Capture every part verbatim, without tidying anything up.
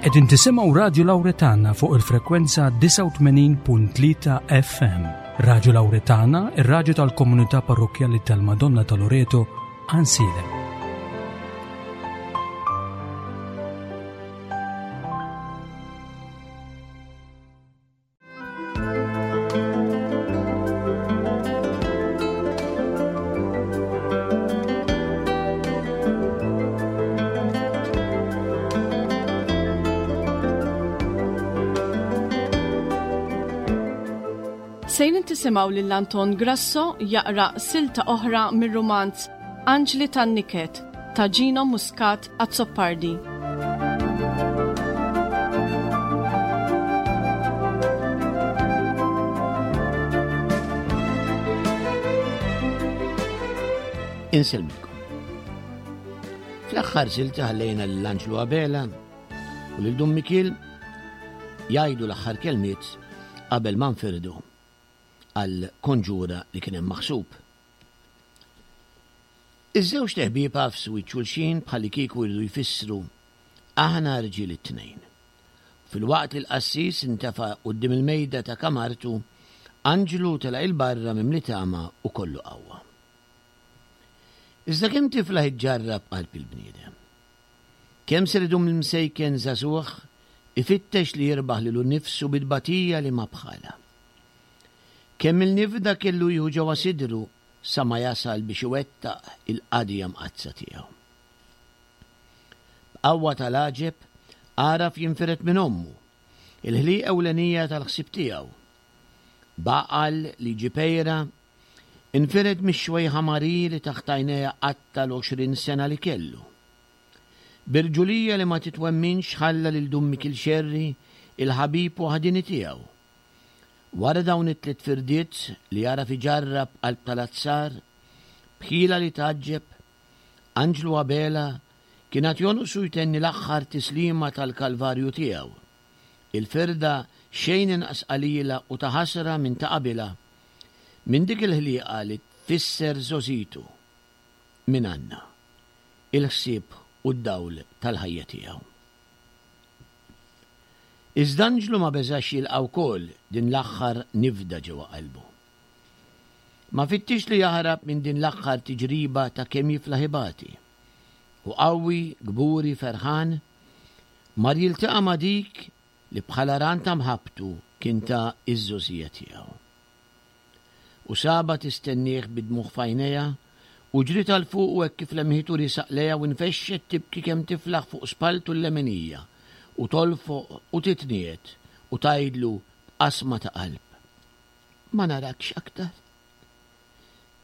Qegħdin tisimgħu Radju Lawretana fuq il-frekwenza disgħa u tmenin punt tlieta F M. Radju Lawretana, ir-radju tal-komunità parrokkjali tal-Madonna ta' Loreto, Għajnsielem. Sejrin tisimgħu lil Anton Grasso jaqra silta oħra mir-rumanz Anġli tan-Niket ta' Gino Muscat Azzopardi. Insellmilkom. Fl-aħħar silta ħallejna lil Anġlu Abela u lil Dun Mikiel jgħidu l-aħħar kelmiet qabel ma nfirdu għal konġura li kien hemm maħsub. Iż-żewġ teħbieb għafsu xulxin bħalli kieku jridu jfissru aħna rġiel it-tnejn. Fil-waqt li l-qassis intefa' quddiem il-mejda ta' kamartu, Anġlu tela' il-barra mimli tama u kollu qawwa. Iżda kemm tiflaħ iġġarrab qalb il-bniedem? Kemm ser idum l-msejken żagħżugħ ifittex li jirbaħ lilu nnifsu bit-tbatija li ma bħalha? Kemm il-nifda kellu jieħu ġewwa sidru sa ma jasal biex iwettaq il-qadija mqaddsa tiegħu. B'qawwa tal-għaġeb għaraf jinfired minn ommu, il-ħliqa ewlenija tal-ħsieb tiegħu. Baqal li ġipejra infired mix-xwejħa Mari li taħt għajnejha qatta l-għoxrin sena li kellu. Birġulija li ma titwemminx ħalla lil Dun Mikiel Xerri il-ħabib waħdini tiegħu. Wara dawn it-tliet firdiet li jara fi ġarrab qalb tal-azzar, bħila li taġġeb, Anġlu Abela kien għad jonqsu jtenni l-aħħar tislima tal-Kalvarju tiegħu. Il-firda xejn inqas qalila u ta' ħasra minn ta' qabilha, minn dik il-ħliqa li tfisser żożitu minn Anna, il-ħsieb u d-dawl tal-ħajja tiegħu. Iżda Anġlu ma beżax jilqa' wkoll din l-aħħar nifda ġewwa qalbu. Ma fittix li jaħrab minn din l-aħħar tiġriba ta' kemm jiflaħ ibati. U qawwi, kburi, ferħan, mar jiltaqa' ma' dik li bħala ran ta' mħabbtu kien ta' iż-żożija tiegħu. U saba tistennieh bid-dmugħ f'għajnejha u ġriet għal fuq u hekk kif lemħitu risaq lejha u nfexxet tibki kemm tiflaħ fuq spaltu l-leminija u tolfoq u titniet u tgħidlu b'qasma ta' qalb. Ma narakx aktar.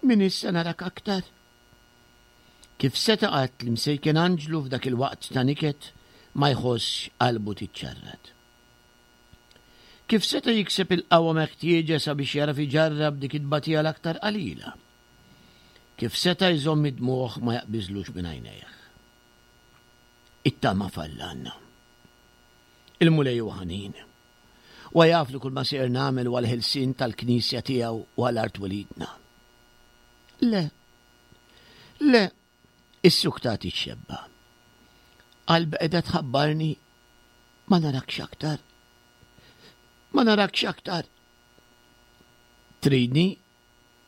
Min issa narak aktar. Kif seta' qatt li msejken Anġlu f'dak il-waqt ta' niket ma jħossx qalbu tiċċarrat. Kif seta' jikseb il-qawwa meħtieġa sabiex jara fi ġarrab dik it-tbatija l-aktar qalila? Kif seta' jżomm id-dmugħ ma jaqbiżlux minn għajnejh? It-tama falla għandna. Il-Mulej huwa ħanin. U jaf li kull ma sejjer nagħmel huwa l-ħelsien tal-Knisja tiegħu u għal art welidna. Le, le, is-suktat ixxebba. Qalbi qiegħda tħabbarni ma narakx aktar. Ma narakx aktar. Tridni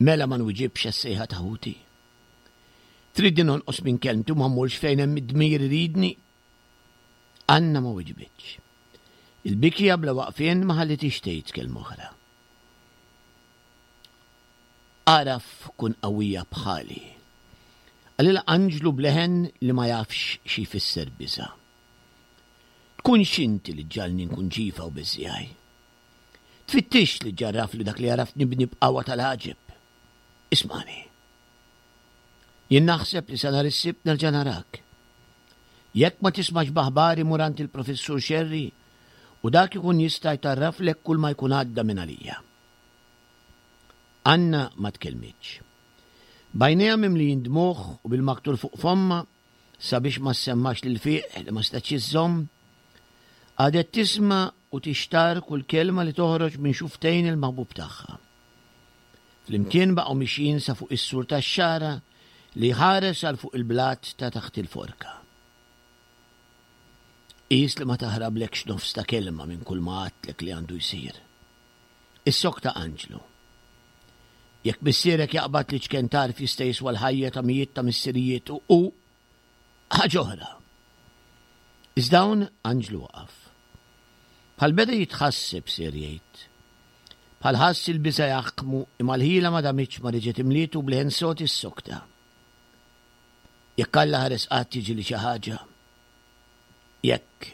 mela ma nwiġibx għas-sejħa ta' ħuti. Tridni nonqos minn kelmti u ma mmurx fejn hemm id-dmir iridni. Anna ma wiġbitx. Il-bikja bla waqfien ma ħallitix tgħid kelma oħra. Araf kun qawwija bħali. Qalilha Anġlu bleħen li ma jafx xi jfisser biża'. Tkunx inti li ġġalni nkun ġifa u biżjaj. Tfittix li ġarraf li dak li għaraft nibni b'qawwa tal-għaġeb. Ismani. Jien naħseb li sa nhar is-Sibt nerġa' narak. Jekk ma tismax b'aħbari mur għand il-Professur Xerri u dak ikun jista' jtarraflek kull ma jkun għadda minn għalija. Anna ma tkellmitx. Bajnejha mimlijin dmugħ u bil-maktur fuq fomma sabiex ma semmax lil fiq li ma stax iżżomm, għadet tisma' u tixtar kull kelma li toħroġ minn xuftejn il-maħbub tagħha. Flimkien baqgħu mixjin sa fuq is-sur tax-xara li ħares għal fuq il-blat ta' taħt il-forka. Qis li ma taħrablekx nofs ta' kelma minn kull ma għadtlek li għandu jsir. Issokta Anġlu. Jekk missierek jaqbad li ċken tarf jista' jiswa l-ħajja ta' mijiet ta' missirijiet u u ħaġa oħra. Iżda hawn Anġlu waqaf. Bħal beda jitħasseb ser jgħid. Bħal ħass il-biża' jaħkmu imma l-ħila ma damitx ma reġgħet imlietu b'leħen sod issokta. Jekk Alla ħares qatt jiġri xi ħaġa, jekk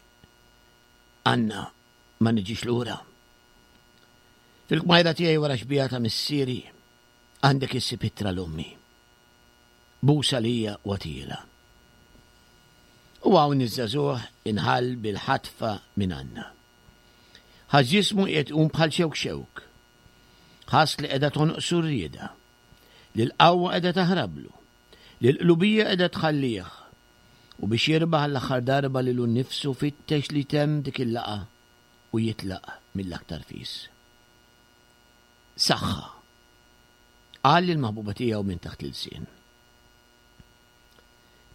Anna ma niġix lura. Fil-kmajra tiegħi wara xbieha ta' missieri għandek issib ittra l-ommi. Busa lija u għatila. U hawn iż-żagħżugħ inħall bil-ħatfa minn Anna. Ħass ġismu qiegħed iqum bħal xewk xewk. Ħass li qiegħda tonqsu r-rieda, li l-qawwa qiegħda taħrablu, li l-qlubija qiegħda tħallih. U biex jirbaħ l-aħħar darba lilu nnifsu fittex li jtemm dik il-laqgħa u jitlaq mill-aktar fis. Saħħa, qal lill-maħbuba tiegħu minn taħt l-ilsien.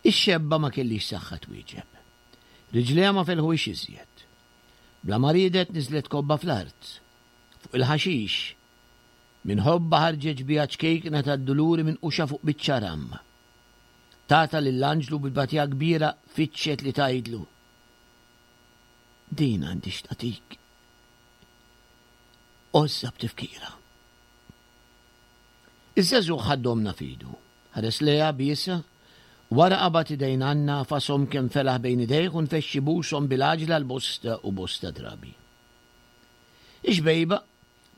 Ix-xebba ma kellhiex saħħa twieġeb. Riġlejha ma felħuhiex iżjed. Bla ma riedet niżlet kobba fl-art, fuq il-ħaxix. Minn ħobbha ħarġet xbieha ċkejkna tad-duluri minquxa fuq biċċa ram. Tata lil Anġlu bi tbatija kbira fittxet li tgħidlu. Din għandi x'tagħtik. Għożżha b'tifkira. Iż-żagħżugħ ħa d-domna f'idu. Ħares lejha biesha, wara qabad idejn Anna għafashom kemm felaħ bejn idejh u nfexx ibushom bil-għaġla l-bosta u bosta drabi. Ix-xbejba,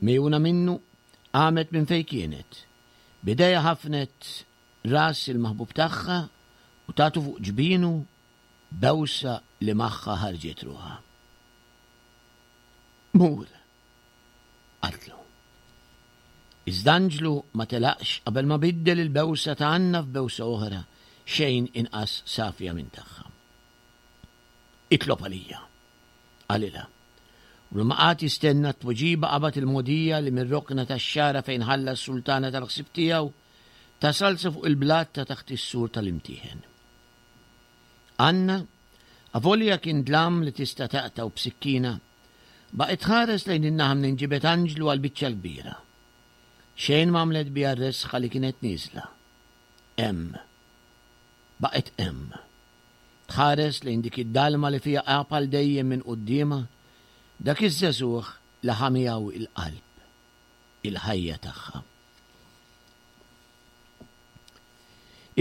megħjuna minnu, qamet minn fejn kienet. B'idejha ħafnet ras il-maħbub tagħha u tatu fuq ġbinu bewsa li magħha ħarġet ruħha. Mur, qaltlu. Iżda Anġlu ma telaqx qabel ma biddel il-bewsa ta' Anna f'bewsa oħra xejn inqas safja minn tagħha. Itlob għalija, qalilha. U bla ma qagħad jistenna t-tweġiba qabad il-mogħdija li mir-rokna tax-xagħra fejn ħalla s-sultana tal-ħsieb tiegħu tasal sa fuq il-blat ta' taħt is-sur tal-imtieħen. Anna, avolja kien dlam li tista' taqtgħu b'sikkina, baqgħet tħares lejn in-naħa minn ġibed Anġlu għall-biċċa l-kbira. Xejn ma għamlet biha r-resħa li kienet nieżla. Hemm. Baqgħet hemm. Tħares lejn dik id-dalma li fiha għab għal dejjem minn quddiemha dak iż-żagħżugħ li ħa miegħu il-qalb, il-ħajja tagħha.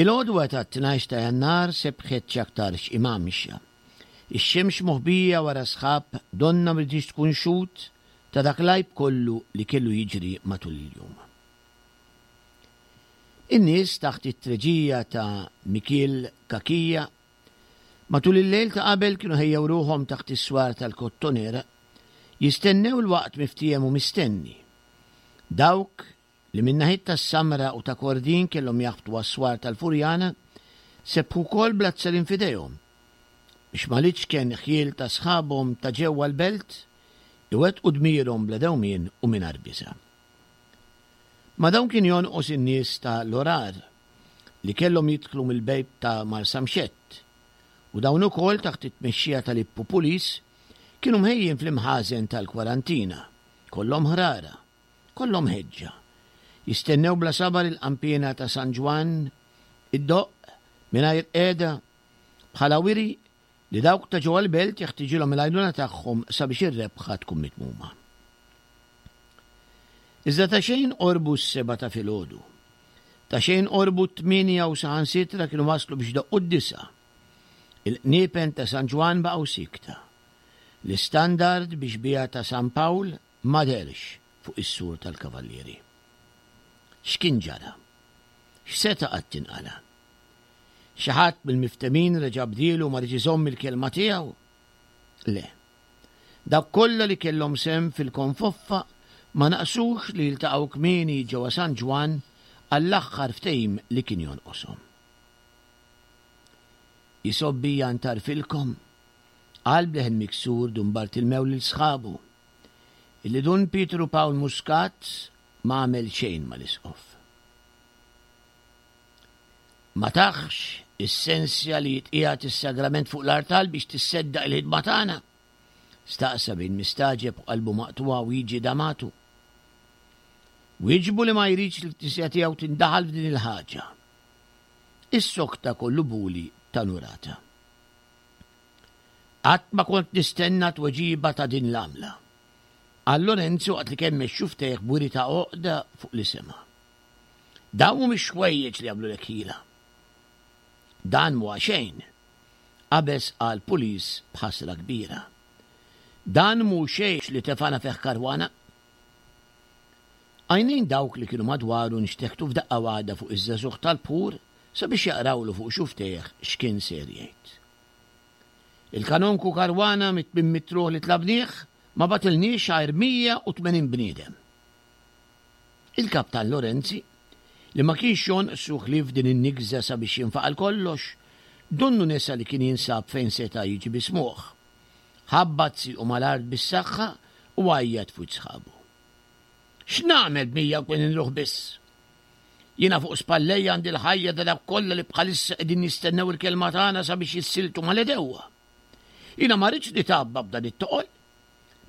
Il-għodwa tat-tnax ta' Jannar sebħet x'aktarx imgħammxa. Ix-xemx moħbija wara sħab donnha ma riditx tkun xhud ta' dak l-għajb kollu li kellu jiġri matul il-jum. In-nies taħt it-treġija ta' Mikiel Cachia matul il-lejl ta' qabel kienu ħejjew ruħhom taħt is-swar tal-Kottonera jistennew il-waqt miftiehem u mistenni. Dawk li min-naħiet tas-Samra u ta' Kordin kellhom jaħbtu għas-swar tal-Furjana sebħu wkoll bl-azzarin f'idejhom biex mal-iċken ħjiel ta' sħabhom ta' ġewwa l-belt iwettqu dmirhom bla dewmien u mingħajr biża'. Ma' dawn kien jonqos in-nies ta' l-Orar li kellhom jidħlu mill-bejb ta' Marsamxett u dawn ukoll taħt it-tmexxija ta' Lippu Pulis kienu mħejjin fl-imħażen tal-kwarantina, kollhom ħrara, kollhom ħeġġa, jistennew bla sabar il-qanpiena ta' San Ġwann iddoqq mingħajr qiegħda bħala wiri li dawk ta' ġewwa l-belt jeħtiġilhom il-għajnuna tagħhom sabiex ir-rebħa tkun mitmuma. Iżda ta' xejn qorbu s-sebgħa ta' filgħodu. Ta' xejn qorbu t-tmienja u saħansitra kienu waslu biex doqqu d-disgħa. Il-qniepen ta' San Ġwann baqgħu siekta. L-istandard biex biha ta' San Pawl ma dehrx fuq is-sur tal-Kavallieri. X'kien ġara? X'seta' qatt inqala'? Xi ħadd mill-miftemin reġa' bdielu u ma riedx iżomm il-kelma tiegħu? Le. Dawk kollha li kellhom sehem fil-konfoffa ma naqsux li jiltaqgħu kmieni ġewwa San Ġwann għall-aħħar ftehim li kien jonqoshom. Jisgħob bija ntarfilkom, qal b'leħen miksur Dun Bartilmew lil sħabu, illi Dun Pietru Pawl Muscat ma għamel xejn mal-Isqof. Ma tahx Is-sensja li jitqiegħed is-sagrament fuq l-artal biex tisseddaq il-ħidma tagħna? Staqsa bejn mistagħġeb u qalbu maqtugħa Wiġi Damatu. Wieġbu li ma jridx li l-Knisja tiegħu tindaħal f'din il-ħaġa. Issokta kollu buli ta' Nurata. Qatt ma kont nistenna tweġiba ta' din l-għamla. Qal Lorenzo waqt li kemmex xufftejh b'wiri ta' għoqda fuq li sema'. Dawn mhumiex ħwejjeġ li jagħmlulek ħila. Dan mhuwa xejn, qabeż qal Pulis b'ħasra kbira. Dan mhu xejn li tefgħana fih Caruana. Għajnejn dawk li kienu madwaru nxteħtu f'daqqa waħda fuq iż-żagħżugħ tal-bħur sabiex jaqrawlu fuq xufftejh x'kien ser jgħid. Il-kanonku Caruana mit-tmien mitt ruħ li tlabnieh ma bagħtilniex għajr mija u tmenin bniedem. Il-Kaptan Lorenzi, li ma kienx jonqsu ħlief din in-nigża sabiex jinfaqal kollox, donnu nesa li kien jinsab fejn seta' jiġi bismugħ. Ħabbat siequ mal-art bis-saħħa u għajjat f'wiċċ sħabu. X'nagħmel b'mija u tmenin ruħ biss? Jiena fuq spallejja għandi l-ħajja ta' dawk kollha li bħalissa qegħdin jistennew il-kelma tagħna sabiex jissiltu mal-għedewwa. Jiena ma rridx nitgħabba b'dan it-toqol.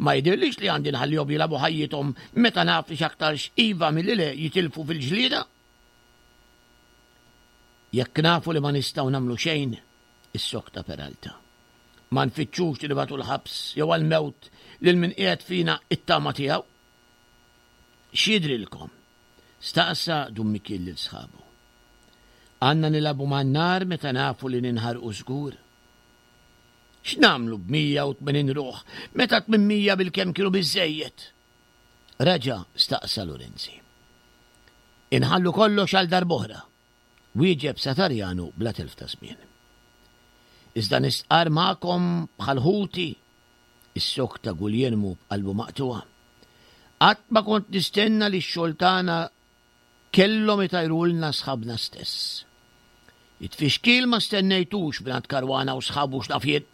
Ma jidhirlix li għandi nħallihom jilagħbu ħajjithom meta naf li x'aktarx iva milli le jitilfu fil-ġlieda. Jekk nafu li ma nistgħu nagħmlu xejn, issokta Peralta. Ma nfittxux li nibagħtu l-ħabs jew għall-mewt lil min qiegħed fina it-tama tiegħu. X'jidhrilkom? Staqsa Dun Mikiel lil sħabu. Għandna nilagħbu man-nar meta nafu li ninħarqu żgur? X'nagħmlu b'mija u tmenin ruħ meta tmien mija bilkemm kienu biżżejjed? Reġa' staqsa Lorenzi. Inħallu kollox għal darb'oħra, wieġeb Satarjanu bla telf ta' żmien. Iżda nistqarr magħkom bħal ħuti, issokta Guglielmu b'qalbu maqtugħa. Qatt ma kont nistenna li x-xogħol tagħna kellhom itajrulna sħabna stess. It-tfixkil ma stennejtux mingħand Caruana u sħabu x'naf jien.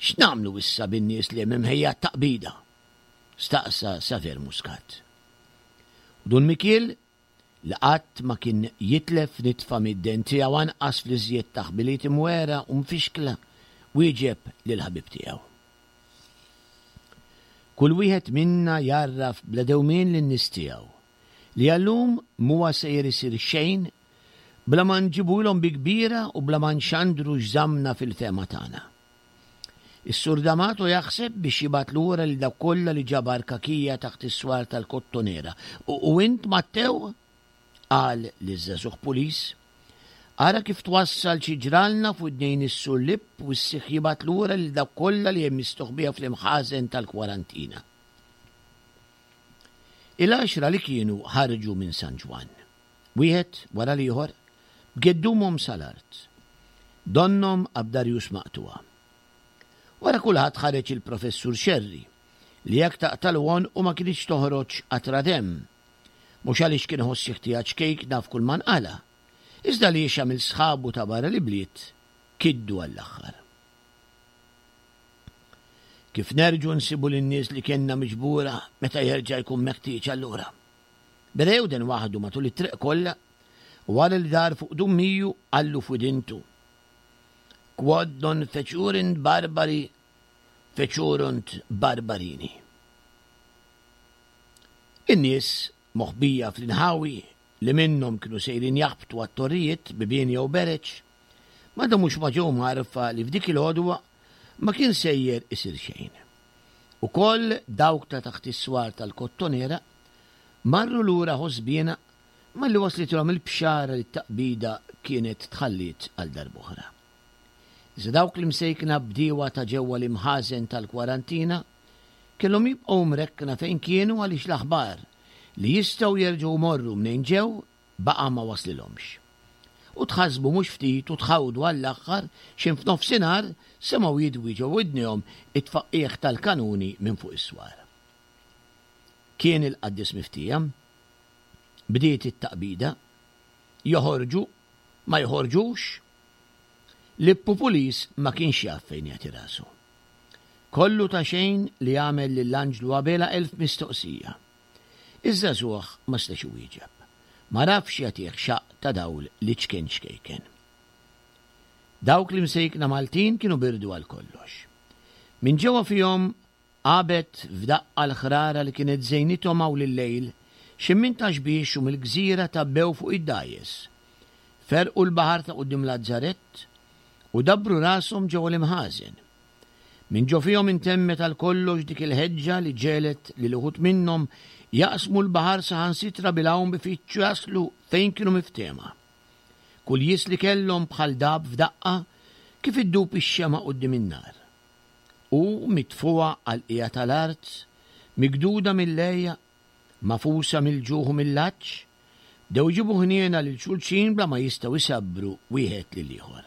X'nagħmlu issa bin-nies li hemm imħejja t-taqbida? Staqsa Saver Muscat. U Dun Mikiel, li qatt ma kien jitlef nitfa mid-dent tiegħu anqas fl-iżjed taħbiliet imwera u mfixkla, wieġeb lill-ħabib tiegħu. Kull wieħed minna jgħarraf bla dewmien lin-nies tiegħu li għallum m'huwa sejjer isir xejn bla ma nġibulhom bi kbira u bla ma nxandru x'żammna fil-fehma tagħna. Is-Sur D'Amato jaħseb biex jibgħat lura lil dawk kollha li ġabar kakija taħt is-swar tal-Kottonera. U int, Mattew? Qal liż-żagħżugħ pulis. Ara kif twassal xi ġralna f'widnejn is-Sur Lipp u ssih jibgħat lura lil dawk kollha li hemm mistoħbija fl-imħażen tal-kwarantina. Il-għaxra li kienu ħarġu minn San Ġwann, wieħed wara l-ieħor, b'geddumhom sal-art. Donnhom abdarjus maqtugħa. Wara kulħadd ħareġ il-Professur Scerri, li jekk taqtalu għonqu ma kinitx toħroġ qatra demm. Mhux għaliex kien iħoss xi ħtija ċkejkna f'kull ma nqala', iżda għaliex għamil sħabu ta' barra l-ibliet kiddu għall-aħħar. Kif nerġgħu nsibu lin-nies li kellna miġbura meta jerġa' jkun meħtieġ allura? Beda jewden waħdu matul it-triq kollha u wara li dar fuq Dummiju qallu f'widintu. Quod non fecurint barbari, fecerunt barbarini. In-nies moħbija fl-inħawi li minnhom kienu sejrin jaħbtu għat-torrijiet, bibien jew bereġ, ma damux ma ġew mgħarrfa li f'dik il-għodwa ma kien sejjer isir xejn. Ukoll dawk ta' taħt is-swar tal-Kottonera marru lura ħosbiena malli waslitilhom il-bxara li t-taqbida kienet tħalliet għal darb'oħra. Iżda dawk li msejkna bdiewa ta' ġewwa l-imħażen tal-kwarantina kellhom jibqgħu mrekkna fejn kienu għaliex l-aħbar li jistgħu jerġgħu jmorru mnejn ġew baqa' ma waslilhomx. U tħassbu mhux ftit u tħawdu għall-aħħar x'in f'nofsinhar semgħu jidwi ġo widnejhom it-tfaqqigħ tal-kanuni minn fuq is-swar. Kien il-qaddis miftija. Bdiet it-taqbida. Joħorġu, ma joħorġux. Lippu Pulis ma kienx jaf fejn jagħti rasu. Kollu ta' xejn li għamel lil Anġlu Abela elf mistoqsija. Iż-żagħżugħ ma setax iwieġeb. Ma rafx jagħtih xaqq ta' dawl li ċkien ċkejken. Dawk l-imsejkna Maltin kienu birdu għal kollox. Minn ġewwa fihom għabet f'daqqa l-ħrara li kienet żejnithom hawn lil-lejl, xi minn Ta' Xbiex u mill-gżira tgħabbew fuq id-dgħajjes. Ferqu l-baħar ta' quddiem Lazzarett u dabbru rashom ġewwa l-imħażen. Minn ġo fihom intemmet għal kollox dik il-ħeġġa li ġegħlet lil uħud minnhom jaqsmu l-baħar saħansitra bil-għawm bifittxu jaslu fejn kienu miftehma. Kull jies li kellhom bħal dab f'daqqa kif iddub ix-xemgħa quddiem in-nar. U mitfugħa għall-qiegħa tal-art, migduda mill-għeja, magħfusa mill-ġuħ u mill-għatx, bdew iġibu ħniena lil xulxin bla ma jistgħu jsabbru wieħed lill-ieħor.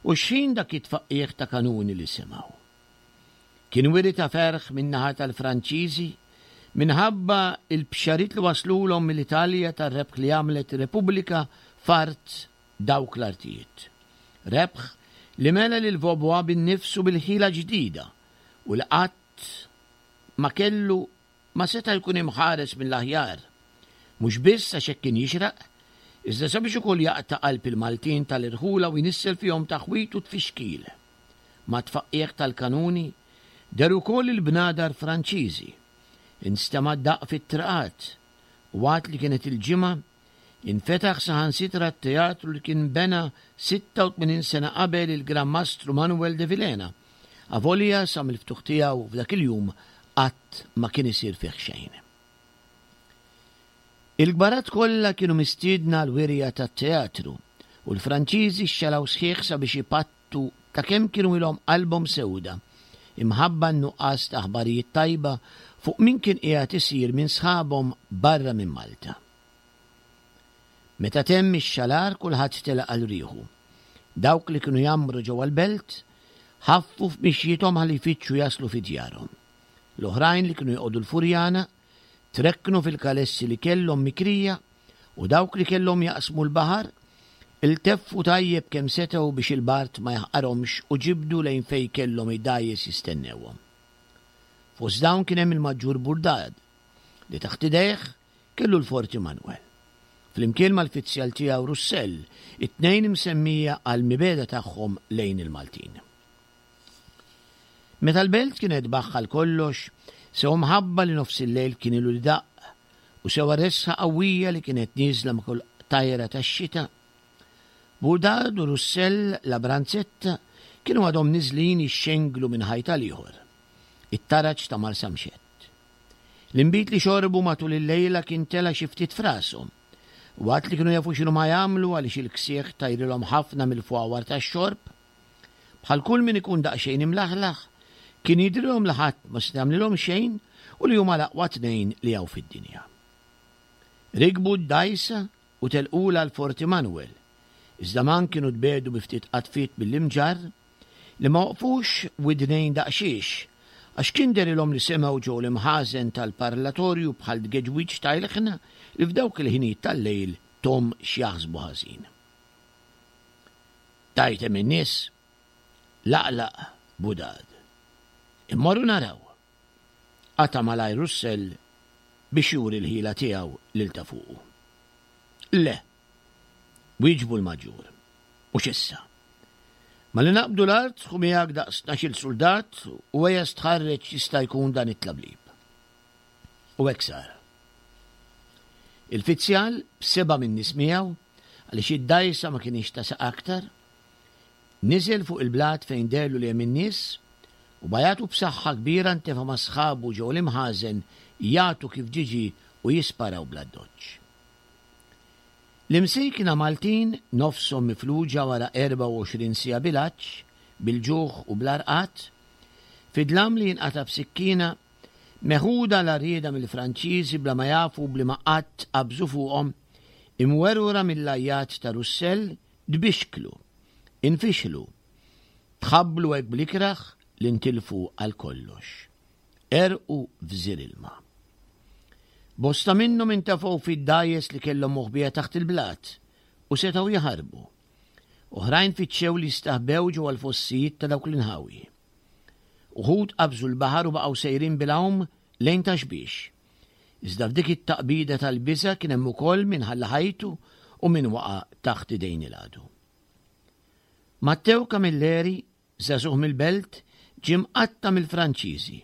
U x'ħin dak it-tfaqqiegħ ta' kanuni li semgħu? Kien wiri ta' ferħ min-naħa tal-Franċiżi minħabba l-bxariet li waslulhom mill-Italja tar-rebħ li għamlet ir-Repubblika f'art dawk l-artijiet. Rebħ li mela lil Vaubois bin-nifs u bil-ħila ġdida u li qatt ma kellu ma seta' jkun imħares mill-aħjar, mhux biss għax hekk kien jixraq, iżda sabiex ukoll jaqta' qalb il-Maltin tal-irħula u jnissel fihom taħwid u tfixkil. Mat-tfaqqiegħ tal-kanuni deher ukoll il-bnadar Franċiżi. Instema' d-daqq fit-triqat u waqt li kienet il-Ġimgħa, infetaħ saħansitra t-teatru li kien bena sitta u tmenin sena qabel il-Gran Mastru Manuel de Vilhena, avolja sa mill-ftuħ tiegħu f'dak il-jum qatt ma kien isir fih xejn. Il-kbarat kollha kienu mistiedna għall-wirja tat-teatru u l-Franċiżi xxalaw sħiħ sabiex ipattu ta' kemm kienu ilhom qalbhom sewda imħabba n-nuqqas ta' aħbarijiet tajba fuq min kien qiegħed isir minn sħabhom barra minn Malta. Meta temm ix-xalar kulħadd telaq għal rieħu. Dawk li kienu jgħammru ġewwa l-belt ħaffu f'mixjiethom ħalli jfittxu jaslu fi djarhom. L-oħrajn li kienu joqogħdu l-Furjana trekknu fil-kalessi li kellhom mikrija u dawk li kellhom jaqsmu l-baħar ilteffu tajjeb kemm setgħu biex il-bard ma jaħqarhomx u ġibdu lejn fejn kellhom id-dgħajjes jistennewhom. Fost dawn kien hemm il-Maġġur Burdad li taħt idejh kellu l-Forti Manuel. Flimkien mal-fizzjal tiegħu Russell, it-tnejn imsemmija għall-mibegħda tagħhom lejn il-Maltin. Meta l-belt kienet baħħa għal kollox, sew mħabba li nofs il-lejl kien ilu li daqq u sew resħa qawwija li kienet nieżla ma' kull tajra tax-xita, Burdad u Russell la Branzetta kienu għadhom niżlin jixxenglu minn ħajt għal ieħor, it-taraġ ta' Marsamxett. L-inbid li xorbu matul il-lejla kien tela' xi ftit f'rashom, waqt li kienu jafu x'inhuma jagħmlu għaliex il-ksieħ tajrilhom ħafna mill-fwawar tax-xorb. Bħal kull min ikun daqsxejn imlaħlaħ, kien jidhrilhom li ħadd ma seta' jagħmlilhom xejn u li huma l-aqwa tnejn li hawn fid-dinja. Rikbu d-dgħajsa u telqulha l-Forti Manuel, iżda man kienu tbiegħdu bi ftit qatfiet mill-imġarr li ma waqfux widnejn daqsxiex għax kien dehrilhom li semgħu ġew l-imħażen tal-parlatorju bħal tgeġwiġ ta' ilħna li f'dawk il-ħinijiet tal-lejl thom x'jaħsbu ħażin. Tgħid hemm in-nies? Laqlaq Budad. Immorru naraw. Qata' malajr Russell biex juri l-ħila tiegħu lil ta' fuqu. Le, wieġbu l-Maġġur. Mhux issa. Malli naqbdu l-art, ħu miegħek daqs tnax-il suldat u ejja stħarreġ x'jista' jkun dan it-tlablib. U hekk sar. Il-fizzjal, b'seba' min-nies miegħu, għaliex id-dgħajsa ma kinitx tasa' aktar, niżel fuq il-blat fejn deherlu li hemm in-nies u b'għajatu b'saħħa kbira ntefa' ma' sħabu ġew l-imħażen jagħtu kif ġie ġie u jisparaw bl-addoċċ. L-imsejkna Maltin, nofshom mifluġa wara erbgħa u għoxrin siegħa bil-għatx, bil-ġuħ u bla rqad, fi dlam li jinqata' b'sikkina, meħuda l-għarrieda mill-Franċiżi bla ma jafu b'liema qatt qabżu fuqhom, imwerwra mill-għajjat ta' Russell, tbixklu, infixlu, tħabblu hekk bl-ikrah li ntilfu għal kollox. Għerqu f'żir ilma. Bosta minnhom intefgħu fid-dgħajjes li kellhom moħbija taħt il-blat u setgħu jaħarbu. Oħrajn fittxew li jistaħbew ġewwa l-fossijiet ta' dawk l-inħawi. Uħud qabżu l-baħar u baqgħu sejrin bil-għawm lejn Ta' Xbiex. Iżda f'dik it-taqbida tal-biża' kien hemm ukoll min ħalla ħajtu u min waqa' taħt idejn il-għadu. Matteo Camilleri, żagħżugħ mill-Belt, ġie mqatta' mill-Franċiżi.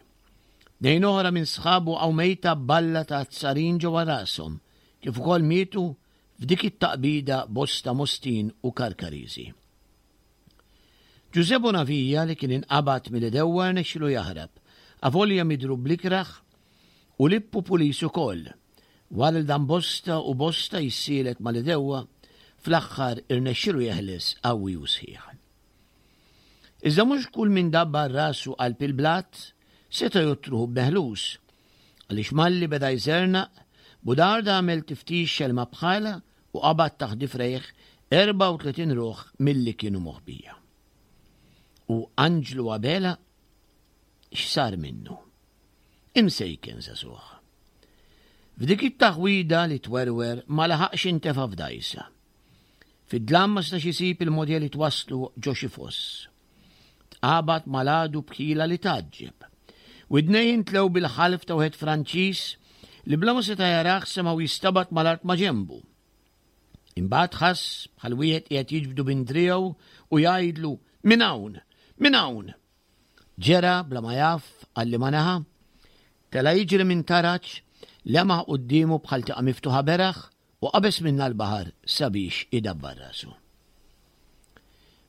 Tnejn oħra minn sħabu waqgħu mejta b'balla ta' azzarin ġewwa rashom, kif ukoll mietu f'dik it-taqbida bosta Mostin u Karkariżi. Ġużè Bonavia li kien inqabad mill-idewwa rnexxielu jaħrab, avolja midrub bl-ikrah, u Lippu Pulis ukoll, wara li dam bosta u bosta jissielet mal-idewwa, fl-aħħar irnexxielu jeħles qawwi u sħiħ. Iżda mhux kull min dabbar rasu qalb il-blat seta' jottruħu b'meħlus, għaliex malli beda jżernaq, Budarda għamel tiftix xelma bħala u qabad taħt difrejh erbgħa u tletin ruħ milli kienu moħbija. U Anġlu Abela x'sar minnu? Imsejken żagħżugħ. F'dik it-taħwida li twerwer ma laħaqx intefa' f'dgħajsa. Fid-dlam ma setax isib il-mogħdija li twasslu ġo xi foss. Tqabad mal-għadu b'ħila li tgħaġġeb. Widnejh intlew bil-ħalf ta' wieħed Franċiż li bla ma seta' jarah semgħu jistabat mal-art ma' ġenbu. Imbagħad ħass bħal wieħed qiegħed jiġbdu minn driegħu u jgħidlu minn hawn, minn hawn. Ġera bla ma jaf għal liema naħa, tela' jiġri minn taraġ, lemaħ quddiemu bħal tieqa miftuħa beraħ u qabeż minnha l-baħar sabiex idabbar rasu.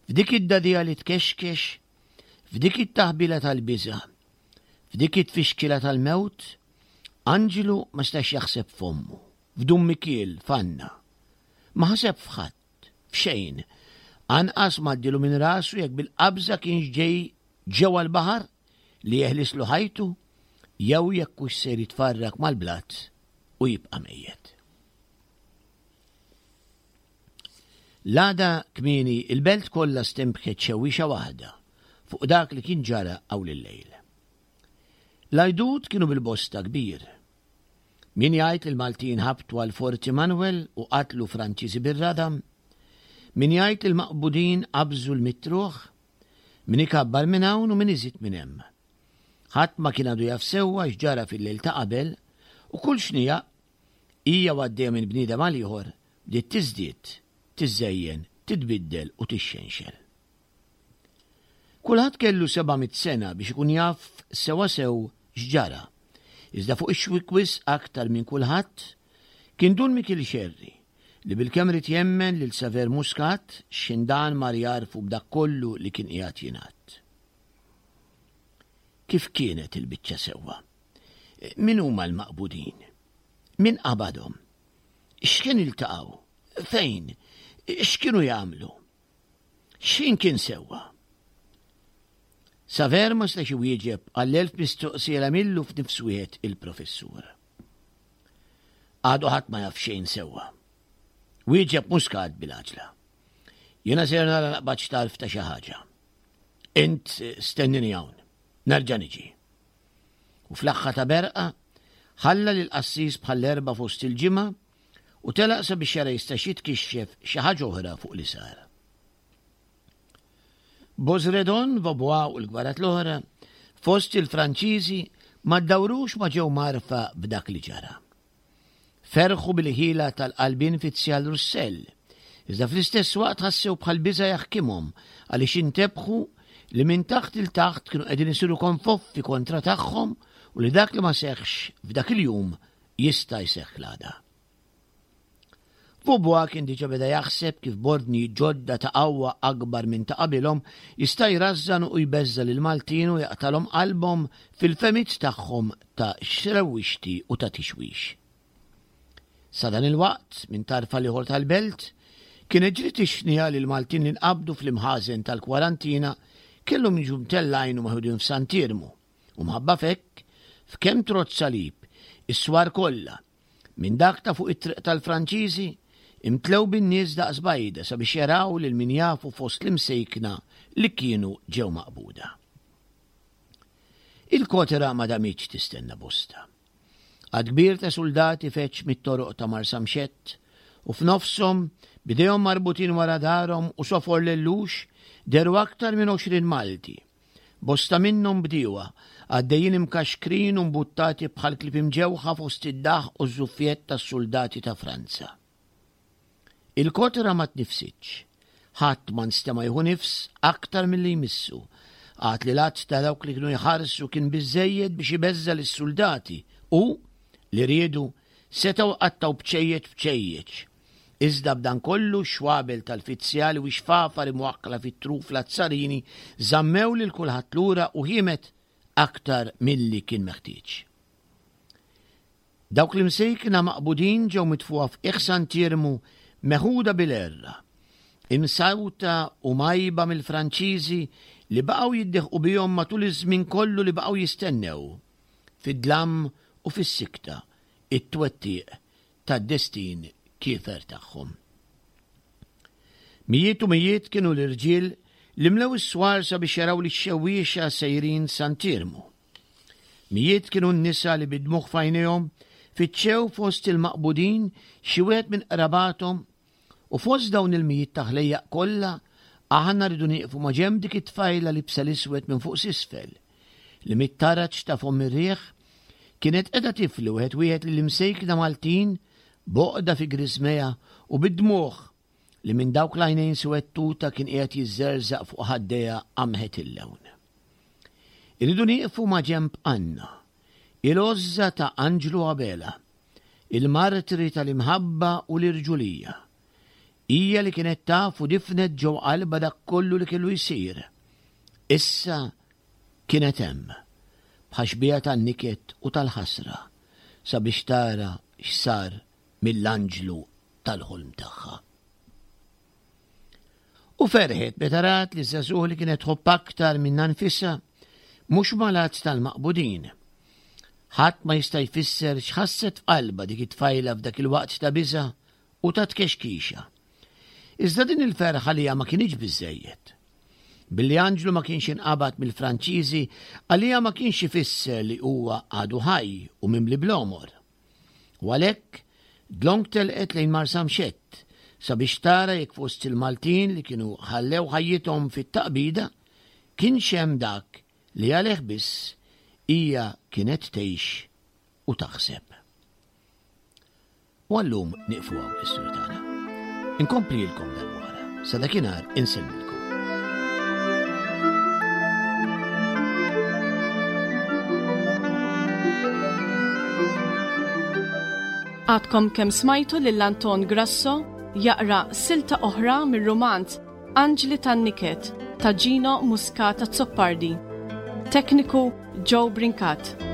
F'dik id-dagħdigħa li tkexkex, f'dik it-taħbila tal-biża', f'dik it-tfixkila tal-mewt, Anġlu ma setax jaħseb f'ommu, f'Dun Mikiel, f'Anna. Ma ħaseb f'ħadd, f'xejn. Anqas ma għaddielu minn rasu jekk bil-qabża kienx ġej ġewwa l-baħar li jeħlislu ħajtu jew jekk hux ser jitfarrak mal-blat u jibqa' mejjet. L-għada kmieni il-belt kollha stembħet xewwiexa waħda fuq dak li kien ġara hawn il-lejl. L-għajdut kienu bil-bosta kbir. Min jgħid li l-Maltin ħabtu għal Forti Manuel u qatlu Franċiżi bir-radam, min jgħid li l-maqbudin qabżu l-mitruħ, min ikabbar minn hawn u min iżid minn hemm. Ħadd ma kien għadu jaf sewwa x'ġara fil-lejl ta' qabel u kull xnija hija għaddejja minn bniedem għal ieħor bdiet tiżdied, tiżżejjen, titbiddel u tixxenxel. Kulħadd kellu seba' mitt sena biex ikun jaf sewwasew x'ġara. Iżda fuq ix-xwik wisq aktar minn kulħadd kien Dun Mikiel Xerri li bilkemm ried jemmen lil Saver Muscat x'indan mar jagħrfu b'dak kollu li kien qiegħed jingħad. Kif kienet il-biċċa sewwa? Min huma l-maqbudin? Min qabadhom? X'kien iltaqgħu? Fejn? X'kienu jagħmlu? X'ħin kien sewwa? Saver ma setax iwieġeb għall-elf mistoqsija li għamillu f'nifs wieħed il-professur. Għadu ħadd ma jaf xejn sewwa. Wieġeb Muscat bil-għaġla. Jiena ser nara naqbad x'tarf ta' xi ħaġa. Int stennini hawn, nerġa' niġi. U fl-aħħar ta' berqa ħalla lil qassis bħall-erba' fost il-ġimgħa u telaq sabiex jara jistax jitkixxef xi ħaġa oħra fuq li sar. Bosredon, Vaubois u l-gbarat l-oħra fost il-Franċiżi ma ddawrux ma ġew marfa b'dak li ġara. Ferħu bil-ħila tal-qalbin fizzjal Russell, iżda fl-istess waqt ħassew bħal biża' jaħkimhom għaliex intebħu li minn taħt il taħt kienu qegħdin isiru konfoffi kontra tagħhom u li dak li ma seħħx f'dak il-jum jista' jseħħ l-għada. Vaubois kien diġa beda jaħseb kif b'ordni ġodda ta' qawwa akbar minn ta' qabilhom jista' jrażżan u jbeżża' lil Maltin u jaqtalhom qalbhom fil-fehmiet tagħhom ta' xrewwixti u ta' tixwix. Sa dan il-waqt, minn tarf għal ieħor tal-belt, kienet ġriet ix-xniegħa li l-Maltin li nqabdu fl-imħażen tal-kwarantina kellhom jiġu mtellgħin u meħudin f'Sant'Iermu, u mħabba f'hekk, f'kemm trodd salib, is-swar kollha, minn dak ta' fuq it-triq tal-Franċiżi, imtlew bin-nies daqs bajda sabiex jaraw lil min jafu fost l-imsejkna li kienu ġew maqbuda. Il-kotera ma damitx tistenna bosta. Għadd kbir ta' suldati feġġ mit-toroq ta' Marsamxett u f'nofshom, b'idejhom marbutin wara darhom u sofor lellux, dehru aktar minn għoxrin Malti. Bosta minnhom bdiewa, għaddejjin imkaxkrin u mbuttati bħal klieb imġewħa fost id-daħq u ż-żuffjett tas-suldati ta' Franza. Il-kotra ma tnifsitx, Ħadd ma nstema' jieħu nifs aktar milli jmissu. Għad li l-għadd ta' dawk li kienu jħarsu kien biżżejjed biex ibeżża' lis-suldati u, li riedu, setgħu qattgħu bċejjeċ bċejjeċ. Iżda b'dan kollu x-xwabel tal-fizzjali u x-xfafar imwakkla fit-truf l-azzarini żammew lil kulħadd lura u ħiemet aktar milli kien meħtieġ. Dawk l-imsejkna maqbudin ġew mitfugħa f'qiegħ Sant'Iermu meħuda bil-għerra, imsawta u mgħajba mill-Franċiżi li baqgħu jiddeħqu bihom matul iż-żmien kollu li baqgħu jistennew, fid-dlam u fis-sikta, it-twettiq tad-destin kiefer tagħhom. Mijiet u mijiet kienu l-irġiel li mlew is-swar sabiex jaraw lix-xewwiexa sejrin Sant'Iermu. Mijiet kienu n-nisa li bid-dmugħ f'għajnejhom fittxew fost il-maqbudin xi wieħed minn qrabathom u fost dawn il-mijiet ta' ħlejjaq kollha aħna rridu nieqfu ma' ġenb dik it-tfajla libsa l-iswed minn fuq s'isfel li mit-taraġ ta' fomm ir-riħ kienet qiegħda tifli wieħed wieħed lill-imsejkna Maltin b'għoqda fi griżmejha u bid-dmugħ li minn dawk l-għajnejn suwed tuta kien qiegħed jiżżerżaq fuq ħaddejha qamħet il-lewn. Irridu nieqfu ma' ġenb Anna, il-għożża ta' Anġlu Abela, il-martri tal-imħabba u l-irġulija. Hija li kienet taf u difnet ġew qalbha dak kollu li kellu jsir. Issa kienet hemm, bħax-xbieha tan-niket u tal-ħasra, sabiex tara x'sar mill-anġlu tal-ħolm tagħha. U ferħet meta rat li ż-żagħżugħ li kienet tħobb aktar minnha nfisha mhux mal-għadd tal-maqbudin. Ħadd ma jista' jfisser x'ħasset f'qalbha dik it-tfajla f'dak il-waqt ta' biża' u ta' tkexkixa. Iżda din il-ferħa għaliha ma kinitx biżżejjed. Billi Anġlu ma kienx inqabad mill-Franċiżi għaliha ma kienx ifisser li huwa għadu ħaj u mimli bl-għomor. U għalhekk dlonk telqet lejn Marsamxett sabiex tara jekk fost il-Maltin li kienu ħallew ħajjithom fit-taqbida kienx hemm dak li għalih biss hija kienet tgħix u taħseb. U għallum nieqfu hawn l-istorja tagħna. Inkomplilkom darb'oħra. Sa dakinhar insellmilkom. Għadkom kemm smajtu lil Anton Grasso jaqra silta oħra mir-rumanz Anġli tan-Niket ta' Gino Muscat Azzopardi. Tekniku Joe Brincat.